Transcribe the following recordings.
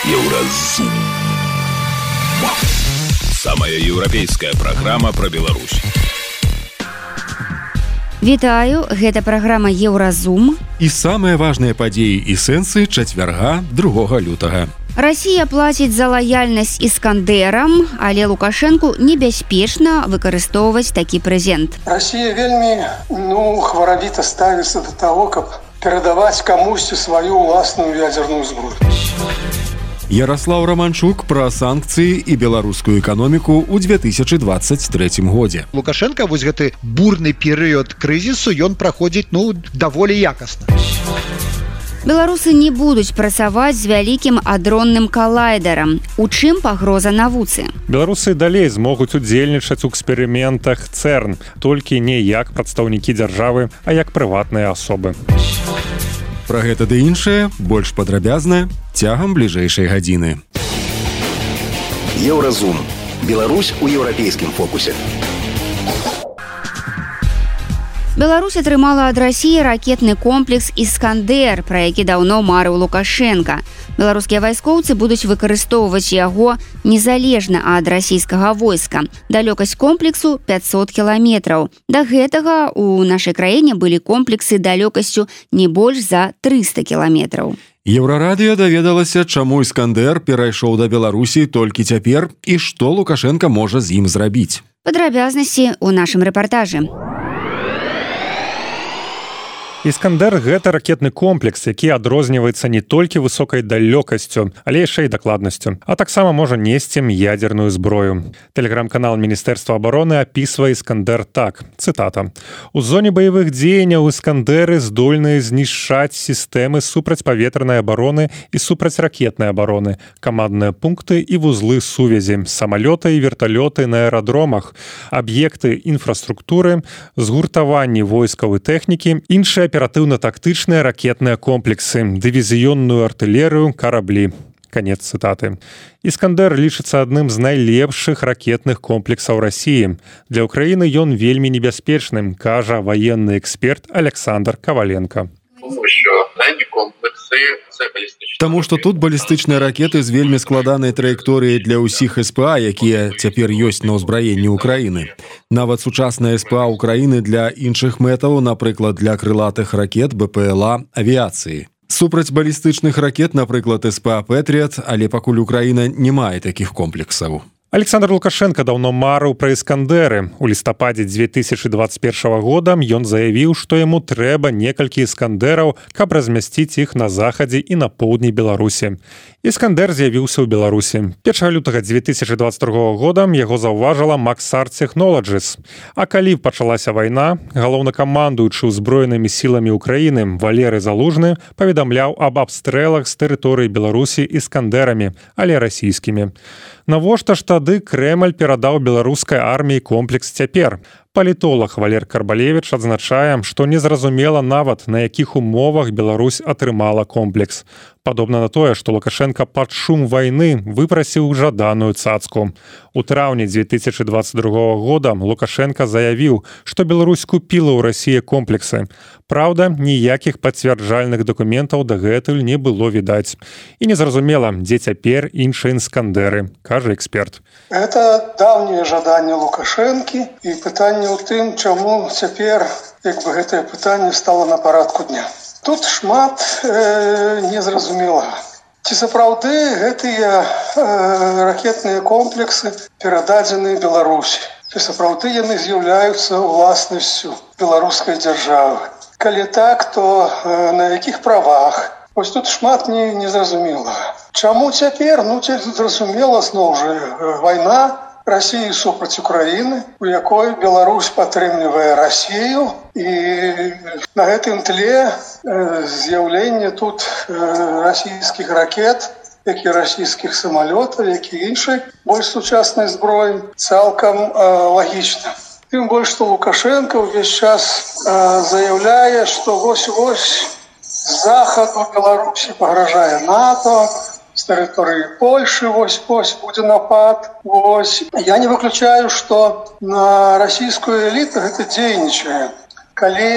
Еўразум. Самая еўрапейская праграма пра Беларусь. Вітаю, гэта праграма Еўразум. І самыя важныя падзеі і сэнсы чацвярга 2 лютага. Расія плаціць за лаяльнасць іскандэрам, але Лукашэнку небяспечна выкарыстоўваць такі прэзент. Расія вельмі хваравіта ставіцца да таго, каб перадаваць камусьці сваю ўласную ядзерную зброю. Ярослаў Романчук пра санкцыі і беларускую эканоміку ў 2023 годзе. Лукашенко вось гэты бурны перыяд крызісу ён праходзіць даволі якасна. Беларусы не будуць працаваць з вялікім адронным калайдерам. У чым пагроза навуцы? Беларусы далей змогуць удзельнічаць у эксперыментах ЦЭРН, толькі не як прадстаўнікі дзяржавы, а як прыватныя асобы. Пра гэта ды іншае больш падрабязна цягам бліжэйшай гадзіны. Еўразум. Беларусь у еўрапейскім фокусе. Беларусь атрымала ад Расіі ракетны комплекс «Іскандэр», пра які даўно марыў Лукашенка. Беларускія вайскоўцы будуць выкарыстоўваць яго незалежна ад расійскага войска. Далёкасць комплексу 500 кіламетраў. Да гэтага ў нашай краіне былі комплексы далёкасцю не больш за 300 кіламетраў. Еўрарадыё даведалася, чаму «Іскандэр» перайшоў да Беларусі толькі цяпер і што Лукашенка можа з ім зрабіць. Падрабязнасці ў нашым рэпартажы. «Іскандэр» – гэта ракетны комплекс, які адрозніваецца не толькі высокай далёкасцю, але яшчэ і дакладнасцю, а таксама можа несці ядерную зброю. Тэлеграм-канал Міністэрства абароны апісвае «Іскандэр» так, цытата: «У зоне баявых дзеянняў «Іскандэры» здольныя знішчаць сістэмы супрацьпаветранай абароны і супрацьракетнай абароны, камандныя пункты і вузлы сувязі, самалёты і верталёты на аэрадромах, аб'екты інфраструктуры, згуртаванні войскаў і тэхнікі, іншыя аператыўна-тактычныя ракетныя комплексы, дывізіённую артылерыю, караблі». Канец цытаты. «Іскандэр» лічыцца адным з найлепшых ракетных комплексаў Расіі. Для ўкраіны ён вельмі небяспечным, кажа ваенны эксперт Александр Коваленко. Таму што тут балістычныя ракеты з вельмі складанай траекторыяй для ўсіх СПА, якія цяпер ёсць на ўзбраенні ўкраіны. Нават сучасная СПА ўкраіны для іншых мэтаў, напрыклад, для крылатых ракет, БПЛА, авіяцыі. Супраць балістычных ракет, напрыклад, СПА «Пэтріат», але пакуль Украіна не мае такіх комплексаў. Александр Лукашенко даўно марыў пра «Іскандэры». У лістападзе 2021 года ён заявіў, што яму трэба некалькі «Іскандэраў», каб размясціць іх на захадзе і на поўдні Беларусі. «Іскандэр» з'явіўся ў Беларусі. 1 лютага 2022 года яго заўважыла Maxar Technologies. А калі пачалася вайна, галоўнакамандуючы ўзброенымі сіламі Украіны Валерый Залужны паведамляў аб абстрэлах з тэрыторыі Беларусі «Іскандэрамі», але расійскімі. Навошта ж тады Крэмль перадаў беларускай арміі комплекс цяпер? Палітолог Валер Карбалевіч адзначае, што незразумела нават, на якіх умовах Беларусь атрымала комплекс. Падобна на тое, што Лукашенко пад шум вайны выпрасіў жаданую цацку. У траўні 2022 года Лукашенко заявіў, што Беларусь купіла ў Расіі комплексы. Праўда, ніякіх пацвярджальных дакументаў дагэтуль не было відаць. І незразумела, дзе цяпер іншыя «Іскандэры», кажа эксперт. Это даўнее жаданне Лукашэнкі і пытанне ў тым, чаму цяпер гэтае пытанне стала на парадку дня. Тут шмат незразумелага. Ці сапраўды гэтыя ракетныя комплексы перададзеныя Беларусі? Ці сапраўды яны з'яўляюцца ўласнасцю беларускай дзяржавы? Калі так, то на якіх правах? Вось тут шмат незразумелага. Чаму цяпер? Зразумела, зноў жа, вайна Расіі супраць Украіны, у якой Беларусь падтрымлівае Расію, і на гэтым тле з'яўленне тут расійскіх ракет, як і расійскіх самалётаў, як і іншай больш сучаснай зброі, цалкам лагічна. Тым больш, што Лукашенко ўвесь час заяўляе, што вось-вось з захаду Беларусі пагражае НАТО, з тэрыторыі Польшы вось-вось будзе напад. Я не выключаю, што на расійскую эліту гэта дзейнічае. Калі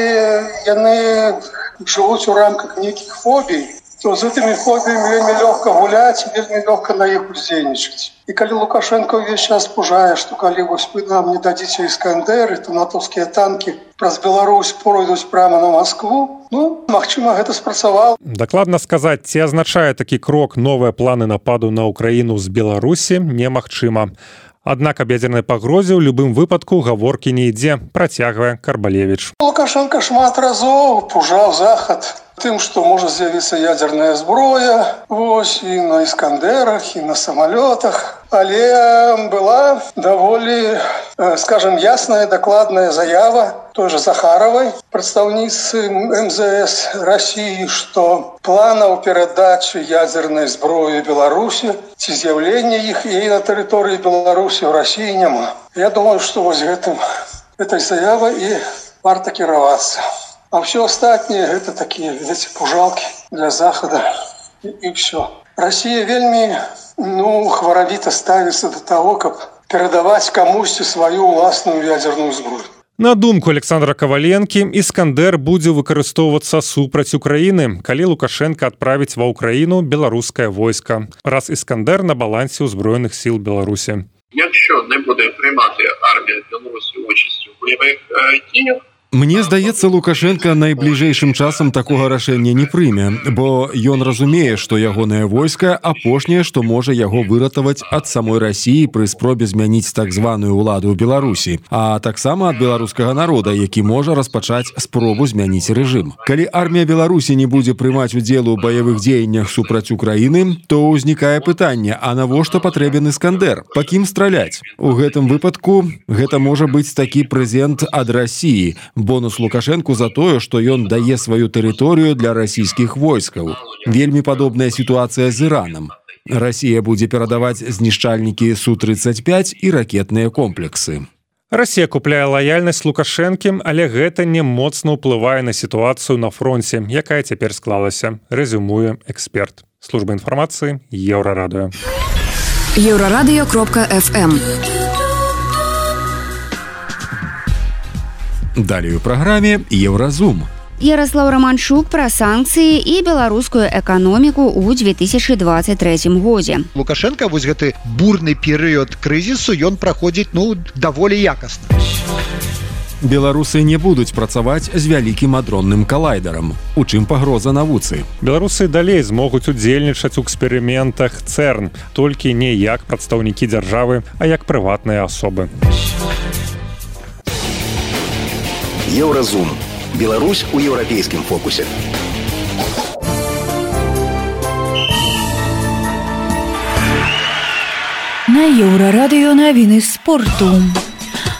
яны жывуць у рамках нейкіх фобій, то з гэтымі фобіямі вельмі лёгка гуляць, вельмі лёгка на іх уздзейнічаць. І калі Лукашенко ўвесь час пужае, што калі вось вы нам не дадзіце іскандеры, то натоўскія танкі праз Беларусь пройдуць прямо на Москву, магчыма, гэта спрацавала. Дакладна сказаць, ці азначае такі крок новыя планы нападу на Украіну з Беларусі, немагчыма. Аднак аб ядзернай пагрозе ў любым выпадку гаворкі не ідзе, працягвае Карбалевіч. Лукашенко шмат разоў пужаў Захад тым, што можа з'явіцца ядзерная зброя, вось, і на іскандерах, і на самалётах. Але была даволі, скажем, ясная, дакладная заява той же Захаровой, прадстаўніцы МЗС России, што планаў перадачы ядзернай зброі Беларусі ці з'яўлення іх і на тэрыторыі Беларусі ў России няма. Я думаю, што вось этой заявай і варта кіравацца. А все астатнее гэта такія, видите, пужалки для Захада і все. Россия вельмі, хваравіта ставіцца до того, каб перадаваць камусьці сваю ўласную ядерную зброю. На думку Александра Каваленкі, іскандер будзе выкарыстоўвацца супраць Украіны, калі Лукашенко адправіць ва Ўкраіну беларускае войска, раз іскандер на балансе ўзброеных сіл Беларусі. Якщо не буде приймати армія Білорусі участь у бойових діях, Мне здаецца, Лукашенко найбліжэйшым часам такога рашэння не прыме, бо ён разумее, што ягонае войска апошняе, што можа яго выратаваць ад самой Расіі пры спробе змяніць так званую ўладу ў Беларусі, а таксама ад беларускага народа, які можа распачаць спробу змяніць рэжым. Калі армія Беларусі не будзе прымаць удзел у баявых дзеяннях супраць Украіны, то ўзнікае пытанне, а навошта патрэбен іскандер? Па кім страляць? У гэтым выпадку гэта можа быць такі прэзент ад Расіі, бонус Лукашенку за тое, што ён дае сваю тэрыторыю для расійскіх войскаў. Вельмі падобная сітуацыя з Іранам. Расія будзе перадаваць знішчальнікі Су-35 і ракетныя комплексы. Расія купляе лаяльнасць Лукашэнкі, але гэта не моцна ўплывае на сітуацыю на фронце, якая цяпер склалася, рэзюмуе эксперт. Служба інфармацыі Еўрарадыё. Еўрарадыё.фм. Далей у праграме Еўразум. Ярослаў Романчук пра санкцыі і беларускую эканоміку ў 2023 годзе. Лукашенко вось гэты бурны перыяд крызісу ён праходзіць даволі якасна. Беларусы не будуць працаваць з вялікім адронным калайдарам. У чым пагроза навуцы? Беларусы далей змогуць удзельнічаць у эксперыментах ЦЭРН, толькі не як прадстаўнікі дзяржавы, а як прыватныя асобы. Еўразум. Беларусь у еўрапейскім фокусе. На Еўрарадыё навіны спорту.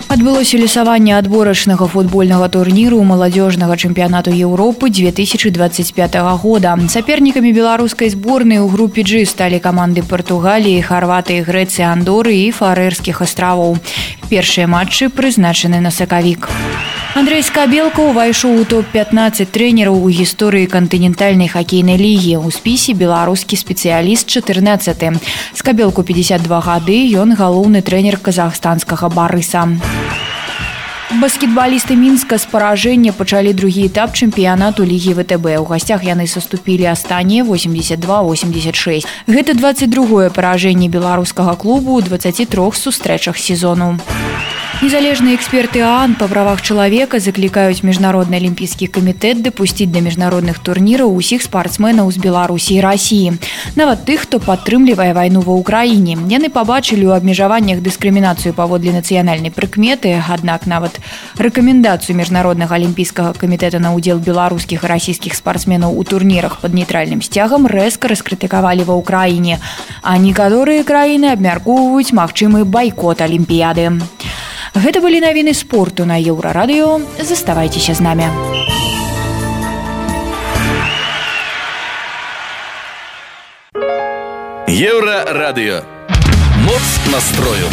Адбылося лісаванне адборачнага футбольнага турніру маладзёжнага чэмпіянату Еўропы 2025 года. Сапернікамі беларускай зборнай у групе G сталі каманды Партугаліі, Харватыі, Грэцыі, Андоры і Фарэрскіх астравоў. Першыя матчы прызначаны на сакавік. Андрэй Скабелка ўвайшоў у топ-15 трэнераў у гісторыі кантынентальнай хакейнай лігі. У спісе беларускі спецыяліст 14. Скабелку 52 гады, ён галоўны трэнер казахстанскага Барыса. Баскетбалісты Мінска з паражэння пачалі другі этап чэмпіянату лігі ВТБ. У гасцях яны саступілі астатнія 82-86. Гэта 22-е паражэнне беларускага клубу ў 23 сустрэчах сезону. Незалежныя эксперты ААН па правах чалавека заклікаюць міжнародны алімпійскі камітэт дапусціць да міжнародных турніраў усіх спартсменаў з Беларусі і Расіі, нават тых, хто падтрымлівае вайну ва ўкраіне. Яны пабачылі ў абмежаваннях дыскрымінацыю паводле нацыянальнай прыкметы, аднак нават рэкамендацыю міжнароднага алімпійскага камітэта на ўдзел беларускіх і расійскіх спартсменаў у турнірах пад нейтральным сцягам рэзка раскрытыкавалі ва ўкраіне, а некаторыя краіны абмяркоўваюць магчымы байкот алімпіяды. Гэта былі навіны спорту на Еўрарадыё. Заставайцеся з намі. Еўрарадыё. Моц настрою.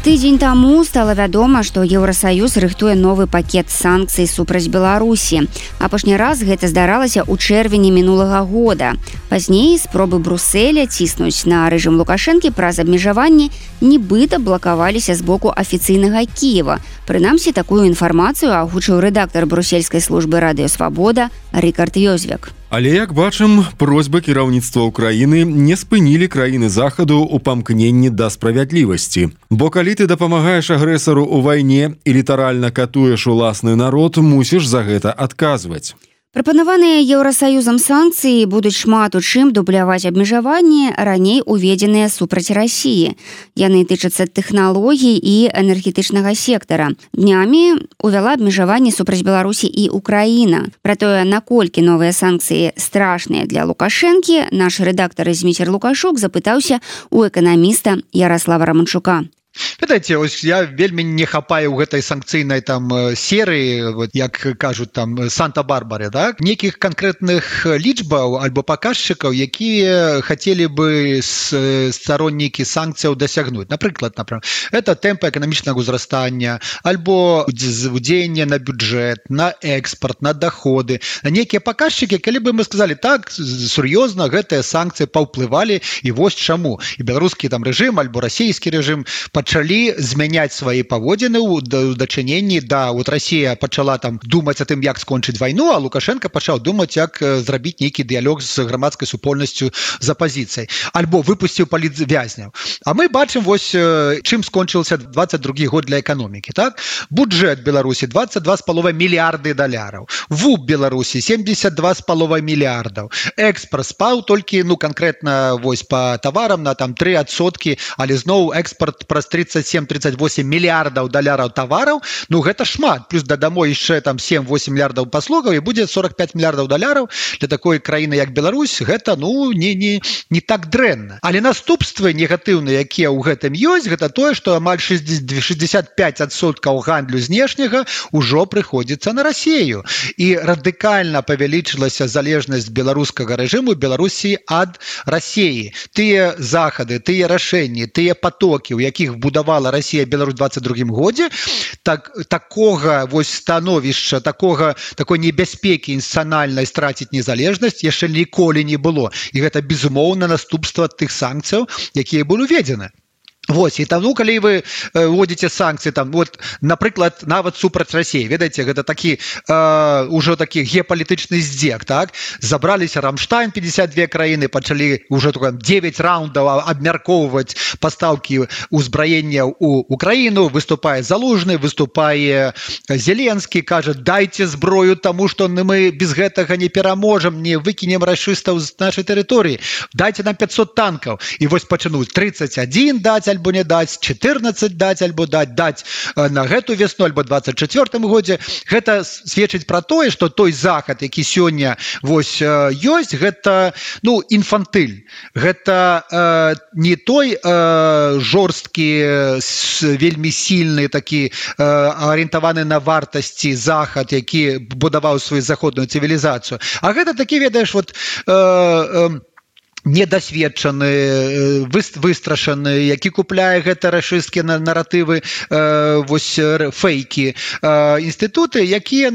Тыдзень таму стала вядома, што Еўрасаюз рыхтуе новы пакет санкцый супраць Беларусі. Апошні раз гэта здаралася ў чэрвені мінулага года. Пазней спробы Брусэля ціснуць на рэжым Лукашэнкі праз абмежаванні нібыта блакаваліся з боку афіцыйнага Кіева. Прынамсі, такую інфармацыю агучыў рэдактар брусельскай службы Радыё Свабода Рыкард Ёзвяк. Але як бачым, просьбы кіраўніцтва Украіны не спынілі краіны захаду ў памкненні да справядлівасці. Бо калі ты дапамагаеш агрэсару ў вайне і літаральна катуеш уласны народ, мусіш за гэта адказваць. Прапанаваныя Еўрасаюзам санкцыі будуць шмат у чым дубляваць абмежаванні, раней уведзеныя супраць Расіі. Яны тычацца тэхналогій і энергетычнага сектара. Днямі увяла абмежаванні супраць Беларусі і Украіна. Пра тое, наколькі новыя санкцыі страшныя для Лукашэнкі, наш рэдактар Зміцер Лукашук запытаўся у эканаміста Ярослава Романчука. Ведаеце, ось я вельмі не хапаю ў гэтай санкцыйнай там серыі, вот, як кажуць там Санта-Барбаре, так? Некіх канкрэтных лічбаў альбо паказчыкаў, якія хацелі бы староннікі санкцыяў дасягнуць. Напрыклад, это тэмпы эканамічнага ўзрастання, альбо ўдзеянне на бюджэт, на экспорт, на доходы. Некія паказчыкі, калі бы мы сказалі так, сур'ёзна гэтыя санкцыі паўплывалі, і вось чаму. І беларускі там рэжым альбо расійскі рэжым пачалі змяняць свае паводзіны ў дачыненні да вот Расія пачала там думаць о тым, як скончыць вайну, а Лукашенко пачаў думаць, як зрабіць нейкі дыялог з грамадскай супольнасцю з апазіцыяй, альбо выпусціў палітвязняў. А мы бачым вось чым скончыўся 22 год для эканомікі, так? Бюджэт Беларусі 22,5 мільярды даляраў. ВУП Беларусі 72,5 мільярдаў. Экспорт спаў толькі, канкрэтна вось па таварам на там 3%, але зноў экспорт праз 37-38 мільярдаў даляраў тавараў, гэта шмат, плюс дадамо яшчэ там 7-8 мільярдаў паслугаў, і будзе 45 мільярдаў даляраў для такой краіны, як Беларусь, гэта, не так дрэнна. Але наступствы негатыўныя, якія ў гэтым ёсць, гэта тое, што амаль 65% гандлю знешняга ўжо прыходзіцца на Расію. І радыкальна павялічылася залежнасць беларускага рэжыму Беларусі ад Расіі. Тыя захады, тыя рашэнні, тыя потокі, у якіх будавала Расія Беларусь 22 годзе, такога вось становішча, такой небяспекі інстытуцыянальнай страціць незалежнасць яшчэ ніколі не было. І гэта безумоўна наступства тых санкцыяў, якія былі уведзены. Вось, і таму, калі вы вводзіце санкцыі, напрыклад, нават супраць Расіі, ведаеце, гэта такі ўжо такі геапалітычны здзек, так? Забраліся Рамштайн, 52 краіны, пачалі ўжо 9 раундаў абмяркоўваць пастаўкі ўзбраення ў Украіну, выступае Залужны, выступае Зеленскі, кажа, дайце зброю, таму што мы без гэтага не пераможам, не выкінем рашыстаў з нашай тэрыторыі, дайце нам 500 танкаў. І вось пачынуць 31 даць, альбо не даць, 14 даць, альбо даць на гэту весну, альбо 24 годзе. Гэта сведчыць пра тое, што той захад, які сёння вось ёсць, гэта, інфантыль. Гэта не той жорсткі, вельмі сильны, такі арыентаваны на вартасці захад, які будаваў сваю заходную цывілізацыю. А гэта такі, ведаеш, недасведчаны, выстрашаны, які купляе гэта рашысцкія наратывы, вось фейкі, інстытуты, якія,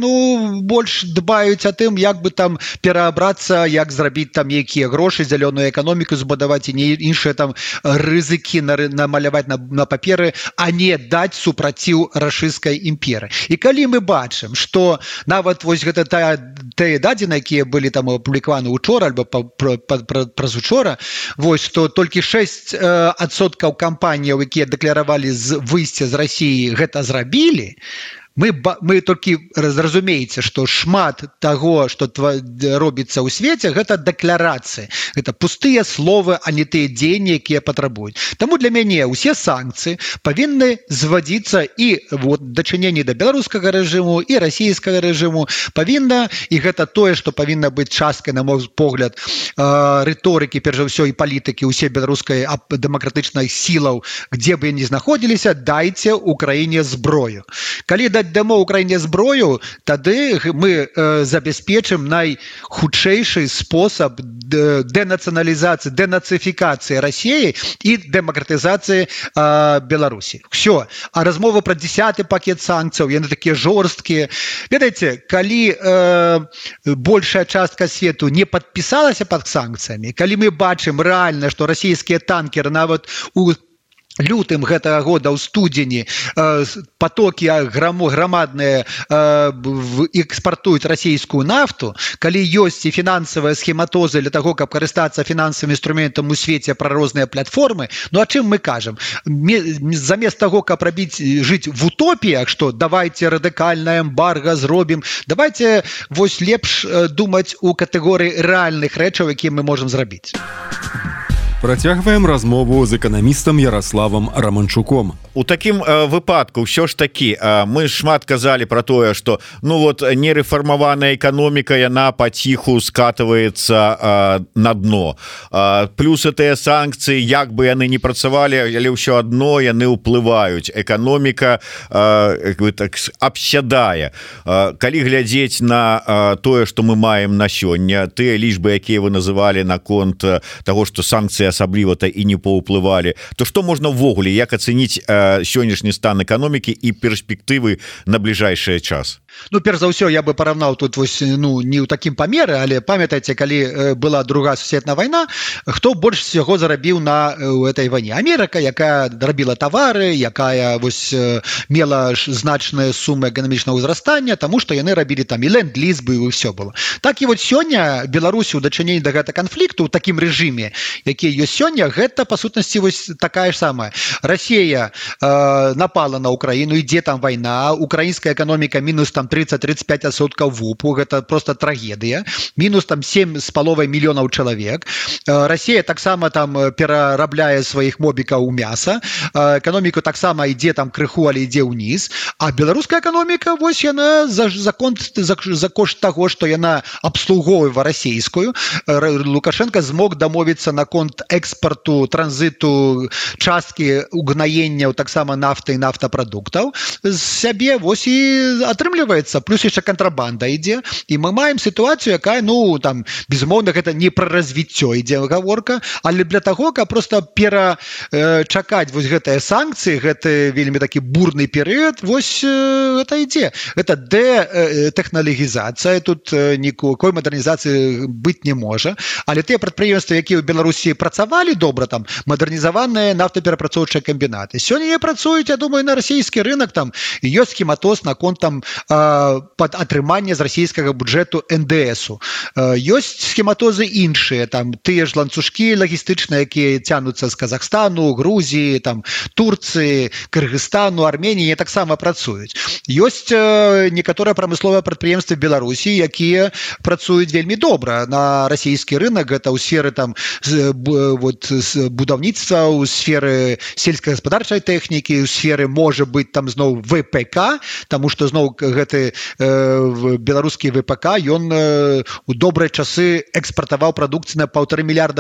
больш дбаюць о тым, як бы там пераабрацца, як зрабіць там якія грошы, зялёную эканоміку збудаваць і іншыя там рызыкі намаляваць на паперы, а не даць супраціў рашысцкай імперы. І калі мы бачым, што нават вось гэта тыя дадзеныя, якія былі там апублікаваны учора альбо праз учора, вось, што толькі 6% кампаніяў, якія дэкларавалі выйсце з Расіі, гэта зрабілі, мы толькі зразумееце, што шмат таго, што робіцца ў свеце, гэта дэкларацыі. Гэта пустыя словы, а не тыя дзеянні, якія патрабуюць. Таму для мяне ўсе санкцыі павінны звадзіцца і дачыненні да беларускага рэжыму, і расійскага рэжыму павінна, і гэта тое, што павінна быць часткай, на мой погляд, рыторыкі, перш за ўсё, і палітыкі ўсе беларускай дэмакратычных сілаў, дзе бы яны знаходзіліся, дайце Украіне зброю. Калі дамо Украіне зброю, тады мы забяспечым найхутчэйшы спосаб дэнацыяналізацыі, дэнацыфікацыі Расіі і дэмакратызацыі Беларусі. Всё. А размова пра 10-й пакет санкцыяў, яны такія жорсткія. Ведаеце, калі большая частка свету не падпісалася пад санкцыямі, калі мы бачым рэальна, што расійскія танкеры нават у лютым гэтага года ў студзені потокі грамадныя экспартуюць расійскую нафту, калі ёсць і фінансавыя схематозы для таго, каб карыстацца фінансавым інструментам у свеце пра розныя платформы, ну а чым мы кажам? Замест таго, каб жыць в утопіях, што давайте радыкальнае эмбарга зробім, давайте вось лепш думаць у катэгорыі рэальных рэчаў, якія мы можам зрабіць. Працягваем размову з эканамістам Ярославам Раманчуком. У такім выпадку ўсё ж такі мы шмат казалі про тое, што ну вот нерэфармаваная эканоміка, яна паціху скатываецца на дно. Плюс гэтыя санкцыі, як бы яны не працавалі, але ўсё адно яны ўплываюць. Эканоміка так абсядае. Калі глядзець на тое, што мы маем на сёння, тыя лічбы, якія вы называлі наконт таго, што санкцыі асабліва-то і не паўплывалі, то што можна ўвогуле, як ацэніць сённяшні стан эканомікі і перспектывы на бліжэйшы час? Ну, перш за ўсё, я бы параўнаў тут вось, ну, не ў такім памеры, але памятаеце, калі была Другая сусветная вайна, хто больш всего зарабіў на этой вайне? Амерыка, якая рабіла тавары, якая вось мела значныя сумы эканамічнага ўзрастання, таму што яны рабілі там і ленд-ліз бы, і ўсё было. Так і вот сёння Беларусі ў дачыненні да гэтага канфлікту ў такім рэжыме, які ёсць сёння, гэта па сутнасці вось такая ж самая. Расія напала на Украіну, ідзе там вайна, украінская эканоміка мінус там 30-35% ВУПу, гэта просто трагедыя, мінус там 7,5 мільёнаў чалавек. Расія таксама там перарабляе сваіх мобікаў у мяса, эканоміку таксама ідзе там крыху, але ідзе ўніз, а беларуская эканоміка, вось яна за кошт таго, што яна абслугоўвае расійскую. Лукашенко змог дамовіцца наконт экспарту, транзіту, часткі угнаенняў таксама нафты і нафтапрадуктаў з сябе, вось і атрымліваецца, плюс яшчэ кантрабанда ідзе, і мы маем сітуацыю, якая, ну, там, безумоўна, гэта не пра развіццё ідзе гаворка, але для таго, каб проста перачакаць вось гэтыя санкцыі, гэты вельмі такі бурны перыяд, вось гэта ідзе. Гэта дэтэхналогізацыя, тут никакой модернізацыі быць не можа, але тыя прадпрыемствы, якія ў Беларусі працавалі добра, там, мадэрнізаваныя нафтаперапрацоўчыя камбінаты, сёння не працуюць, я думаю, на расійскі рынок, там, ёсць схематоз наконт там пад атрыманне з расійскага бюджэту НДСу. Ёсць схематозы іншыя, там, тыя ж ланцужкі лагістычныя, якія цянуцца з Казахстану, Грузіі, там, Турцыі, Кыргызстану, Арменіі, таксама працуюць. Ёсць некаторыя прамысловыя прадпрыемствы Беларусі, якія працуюць вельмі добра на расійскі рынок, гэта ў сферы там будаўніцтва, у сферы сельскагаспадарчай тэхнікі, у сферы, можа быць, там зноў ВПК, таму што зноў гэты беларускі ВПК, ён у добрыя часы экспартаваў прадукцыю на $1,5 мільярда.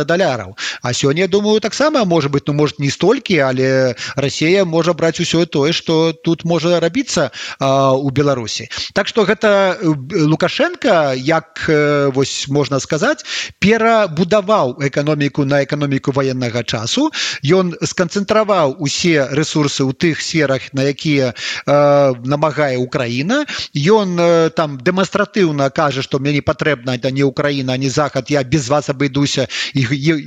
А сёння, я думаю, таксама, можа быць, ну, можа, не столькі, але Расія можа браць усё тое, што тут можа рабіцца у Беларусі. Так што гэта Лукашенко, як, вось, можна сказаць, перабудаваў эканоміку на эканоміку ваеннага часу. Ён сканцэнтраваў усе рэсурсы ў тых сферах, на якія намагае Украіна. Ён там дэманстратыўна кажа, што мне не патрэбна не Украіна, не Захад, я без вас абыдуся. І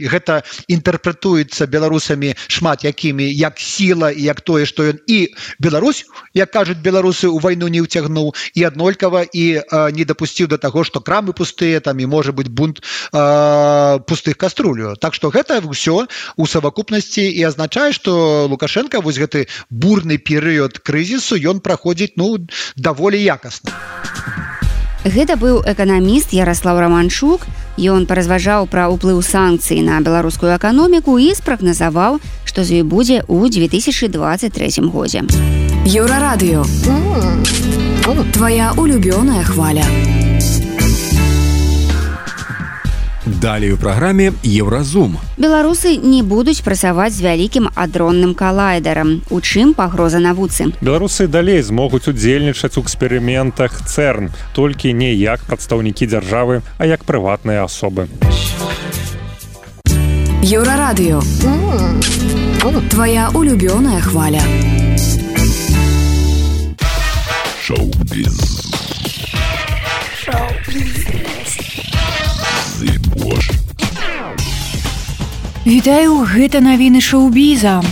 гэта інтэрпрэтуецца беларусамі шмат якімі, як сіла, і як тое, што ён і Беларусь, як кажуць беларусы, у вайну не ўцягнуў, і аднолькава, і не дапусціў да таго, што крамы пустыя, там, і можа быць бунт пустых каструлю. Так што гэта ўсё у савакупнасці і азначае, што Лукашенко вось гэты бурны перыяд крызісу ён праходзіць, ну, даволі якасна. Гэта быў эканаміст Ярослав Раманчук. Ён паразважаў пра ўплыў санкцый на беларускую эканоміку і спрагназаваў, што з ёй будзе ў 2023 годзе. Еўрарадыё. Твоя улюбёная хваля. Далей у праграме Еўразум. Беларусы не будуць працаваць з вялікім адронным калайдерам. У чым пагроза навуцы? Беларусы далей змогуць удзельнічаць у эксперыментах ЦЭРН, толькі не як прадстаўнікі дзяржавы, а як прыватныя асобы. Еўрарадыё. Твоя улюбёная хваля. Шоу-біз. Вітаю, гэта навіны шоу-біза.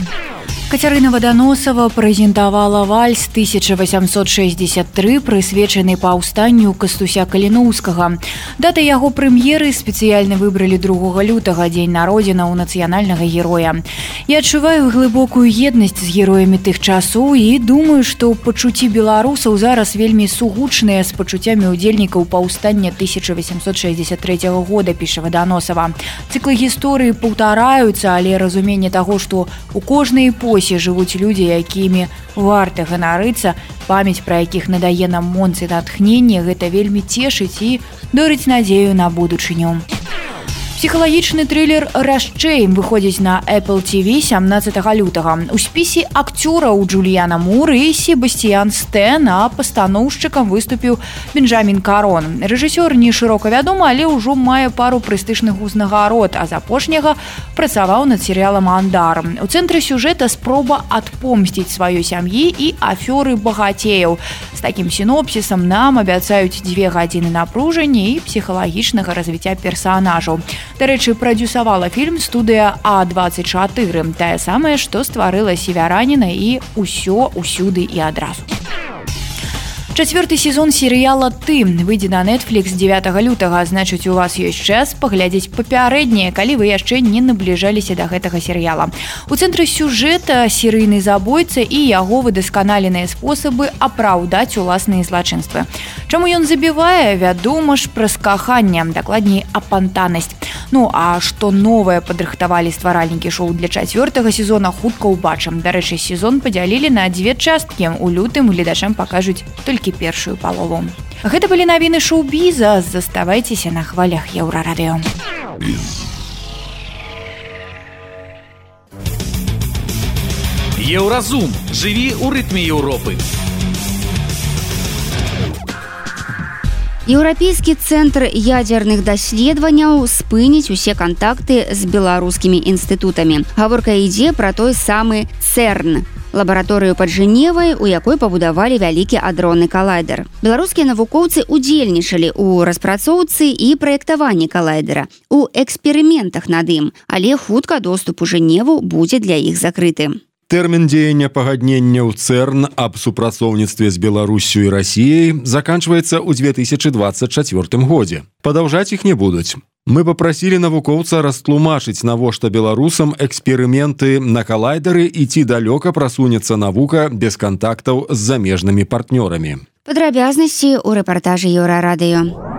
Кацярына Ваданосава прэзентавала вальс 1863, прысвечаны паўстанню Кастуся Каліноўскага. Дата яго прэм'еры спецыяльна выбралі 2 лютага, дзень народзінаў нацыянальнага героя. Я адчуваю глыбокую еднасць з героямі тых часоў і думаю, што пачуцці беларусаў зараз вельмі сугучныя з пачуццямі ўдзельнікаў паўстання 1863 года, піша Ваданосава. Цыклы гісторыі паўтараюцца, але разуменне таго, што у кожнай эпохі жывуць людзі, якімі варта ганарыцца, памяць пра якіх надае нам моц і натхненне, гэта вельмі цешыць і дорыць надзею на будучыню. Псіхалагічны трылер «Расчэй» выходзіць на Apple TV 17 лютага. У спісе акцёраў Джуліяна Мур і Себастьян Стэн, а пастаноўшчыкам выступіў Бенджамін Карон. Рэжысёр не шырока вядомы, але ўжо мае пару прэстыжных узнагарод, а з апошняга працаваў над серыялам «Андар». У цэнтры сюжэта спроба адпомсціць сваёй сям'і і афёры багацеяў. З такім сінопсісам нам абяцаюць 2 гадзіны напружання і псіхалагічнага развіцця персанажаў. Дарэчы, прадзюсавала фільм студыя А24, тая самая, што стварыла «Севяраніна» і «Усё, усюды і адразу». 4-й сезон серыяла «Ты» выйдзе на Netflix 9 лютага, значыць, у вас ёсць час паглядзець папярэднія, калі вы яшчэ не набліжаліся да гэтага серыяла. У цэнтры сюжэта серыйны забойца і яго выдасканаленыя спосабы апраўдаць уласныя злачынствы. Чаму ён забівае? Вядома ж, праз каханне, дакладней, апантанасць. Ну, а што новае падрыхтавалі стваральнікі шоу для 4-го сезона, хутка ўбачым. Дарэчы, сезон падзялілі на 2 часткі. У лютым гледачам пакажуць толькі першую палову. Гэта былі навіны шоу-біза. Заставайцеся на хвалях Еўрарадыё. Еўразум. Жыві ў рытме Еўропы. Еўрапейскі цэнтр ядзерных даследаванняў спыніць усе кантакты з беларускімі інстытутамі. Гаворка ідзе пра той самы ЦЭРН, лабараторыю пад Жэневай, у якой пабудавалі вялікі адронны калайдер. Беларускія навукоўцы удзельнічалі ў распрацоўцы і праектаванні калайдера, у эксперыментах над ім, але хутка доступ у Жэневу будзе для іх закрыты. Тэрмін дзеяння пагаднення ў ЦЭРН аб супрацоўніцтве з Беларусю і Расіяй заканчваецца ў 2024 годзе. Падаўжаць іх не будуць. Мы папрасілі навукоўца растлумачыць, навошта беларусам эксперыменты на калайдары і ці далёка прасунецца навука без кантактаў з замежнымі партнёрамі. Падрабязнасці ў рэпартажы Еўрарадыё.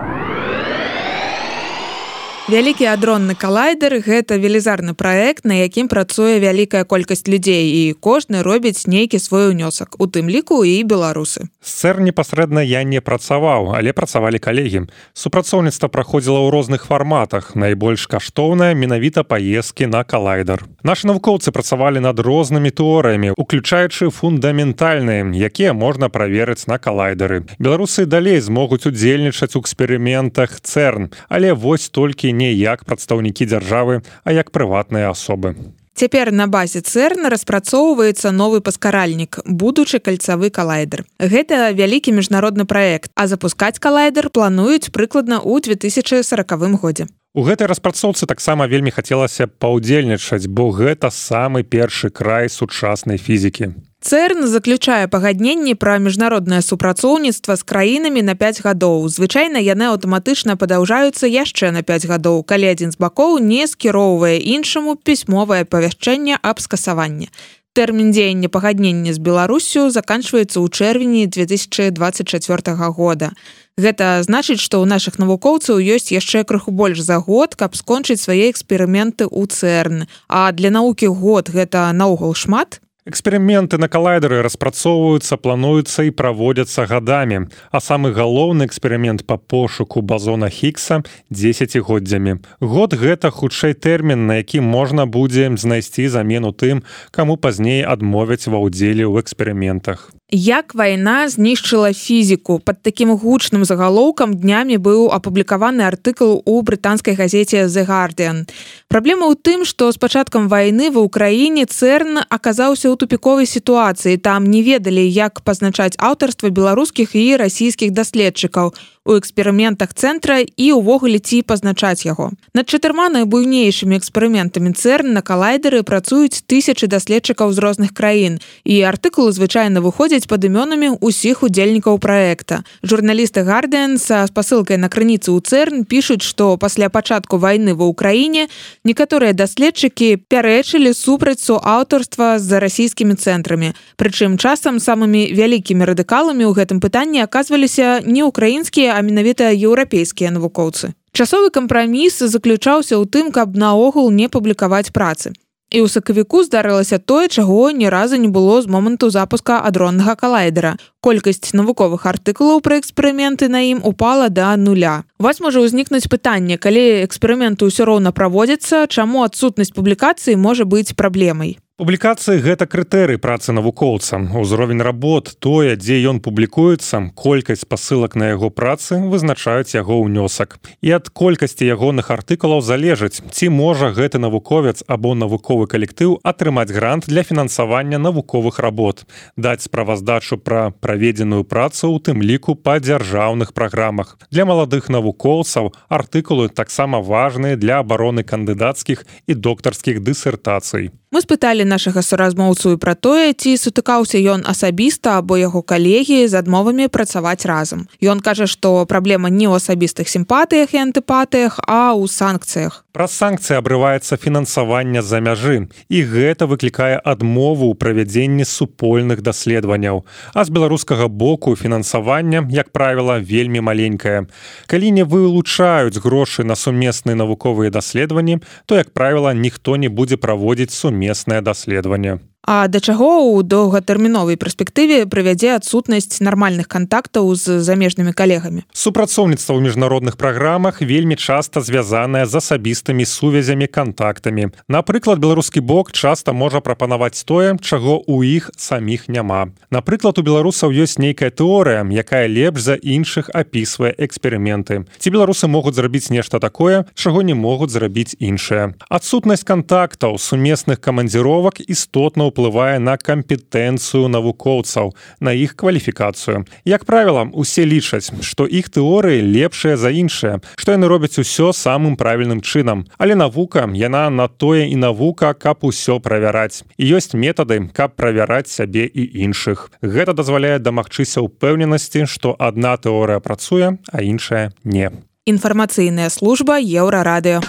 Вялікі адронны калайдер – гэта велізарны праект, на якім працуе вялікая колькасць людзей, і кожны робіць нейкі свой унёсак, у тым ліку і беларусы. З ЦЭРН непасрэдна я не працаваў, але працавалі калегі. Супрацоўніцтва праходзіла ў розных фарматах. Найбольш каштоўнае менавіта паездкі на калайдер. Нашы навукоўцы працавалі над рознымі тэорыямі, уключаючы фундаментальныя, якія можна праверыць на калайдары. Беларусы далей змогуць удзельнічаць у эксперыментах ЦЭРН, але вось толькі не як прадстаўнікі дзяржавы, а як прыватныя асобы. Цяпер на базе ЦЭРН распрацоўваецца новы паскаральнік, будучы кальцавы калайдер. Гэта вялікі міжнародны праект, а запускаць калайдер плануюць прыкладна ў 2040 годзе. У гэтай распрацоўцы таксама вельмі хацелася паўдзельнічаць, бо гэта самы першы край сучаснай фізікі. ЦЭРН заключае пагадненні пра міжнароднае супрацоўніцтва з краінамі на 5 гадоў. Звычайна яны аўтаматычна падаўжаюцца яшчэ на 5 гадоў, калі адзін з бакоў не скіроўвае іншаму пісьмовае павяшчэнне аб скасаванні. Тэрмін дзеяння пагаднення з Беларусю заканчваецца ў чэрвені 2024 года. Гэта значыць, што ў нашых навукоўцаў ёсць яшчэ крыху больш за год, каб скончыць свае эксперыменты ў ЦЭРН. А для навукі год гэта наогул шмат? Эксперыменты на калайдары распрацоўваюцца, плануюцца і праводзяцца гадамі, а самы галоўны эксперымент па пошуку базона Хіггса – 10годдзямі. Год – гэта хутчэй тэрмін, на які можна будзе знайсці замену тым, каму пазней адмовяць ва ўдзеле ў эксперыментах. Як вайна знішчыла фізіку? Пад такім гучным загалоўкам днямі быў апублікаваны артыкул у брытанскай газеце The Guardian. Праблема ў тым, што з пачаткам вайны ва ўкраіне ЦЭРН аказаўся ў тупіковай сітуацыі. Там не ведалі, як пазначаць аўтарства беларускіх і расійскіх даследчыкаў. у эксперыментах цэнтра і ўвогуле ці пазначаць яго. Над 4 найбуйнейшымі эксперыментамі ЦЭРН на калайдеры працуюць тысячы даследчыкаў з розных краін, і артыкулы звычайна выходзяць пад імёнамі ўсіх удзельнікаў праекта. Журналісты Guardian са спасылкай на крыніцы ў ЦЭРН пішуць, што пасля пачатку вайны ва Ўкраіне некаторыя даследчыкі пярэчылі супраць суаўтарства з расійскімі цэнтрамі. Прычым часам самымі вялікімі радыкаламі ў гэтым пытанні аказваліся не ўкраінскія, а менавіта еўрапейскія навукоўцы. Часовы кампраміс заключаўся ў тым, каб наогул не публікаваць працы. І ў сакавіку здарылася тое, чаго ні разу не было з моманту запуска адроннага калайдера. Колькасць навуковых артыкулаў пра эксперыменты на ім упала да 0. У вас можа ўзнікнуць пытанне, калі эксперыменты ўсё роўна праводзяцца, чаму адсутнасць публікацыі можа быць праблемай? Публікацыі – гэта крытэрый працы навукоўца. Узровень работ, тое, дзе ён публікуецца, колькасць спасылак на яго працы вызначаюць яго ўнёсак. І ад колькасці ягоных артыкулаў залежыць, ці можа гэты навуковец або навуковы калектыў атрымаць грант для фінансавання навуковых работ, даць справаздачу пра праведзеную працу, у тым ліку па дзяржаўных праграмах. Для маладых навукоўцаў артыкулы таксама важныя для абароны кандыдацкіх і доктарскіх дысертацый. Мы спыталі нашага суразмоўцу пра тое, ці сутыкаўся ён асабіста або яго калегі з адмовамі працаваць разам. Ён кажа, што праблема не ў асабістых сімпатыях і антыпатыях, а ў санкцыях. Праз санкцыі абрываецца фінансаванне з-за мяжы, і гэта выклікае адмову ў правядзенні супольных даследаванняў. А з беларускага боку фінансаванне, як правіла, вельмі маленькае. Калі не вылучаюць грошы на сумесныя навуковыя даследаванні, то, як правіла, ніхто не будзе праводзіць сумеснае даследаванне. А да чаго ў доўгатэрміновай перспектыве прывядзе адсутнасць нармальных кантактаў з замежнымі калегамі? Супрацоўніцтва ў міжнародных праграмах вельмі часта звязанае з асабістымі сувязямі, кантактамі. Напрыклад, беларускі бок часта можа прапанаваць тое, чаго ў іх саміх няма. Напрыклад, у беларусаў ёсць нейкая тэорыя, якая лепш за іншых апісвае эксперыменты. Ці беларусы могуць зрабіць нешта такое, чаго не могуць зрабіць іншыя. Адсутнасць кантактаў, сумесных камандзіровак істотна ўплывае на кампетэнцыю навукоўцаў, на іх кваліфікацыю. Як правіла, усе лічаць, што іх тэорыі лепшыя за іншыя, што яны робяць усё самым правільным чынам. Але навука, яна на тое і навука, каб усё правяраць. І ёсць метады, каб правяраць сябе і іншых. Гэта дазваляе дамагчыся ўпэўненасці, што адна тэорыя працуе, а іншая не. Інфармацыйная служба Еўрарадыё.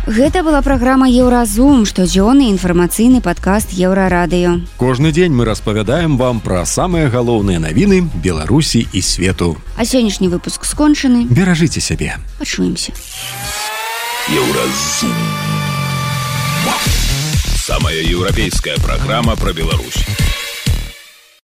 Гэта была праграма «Еўразум», штодзённы інфармацыйны падкаст Еўрарадыё. Кожны дзень мы распавядаем вам пра самыя галоўныя навіны Беларусі і свету. А сённяшні выпуск скончаны. Беражыце сябе. Пачуемся. Еўразум. Самая еўрапейская праграма пра Беларусь.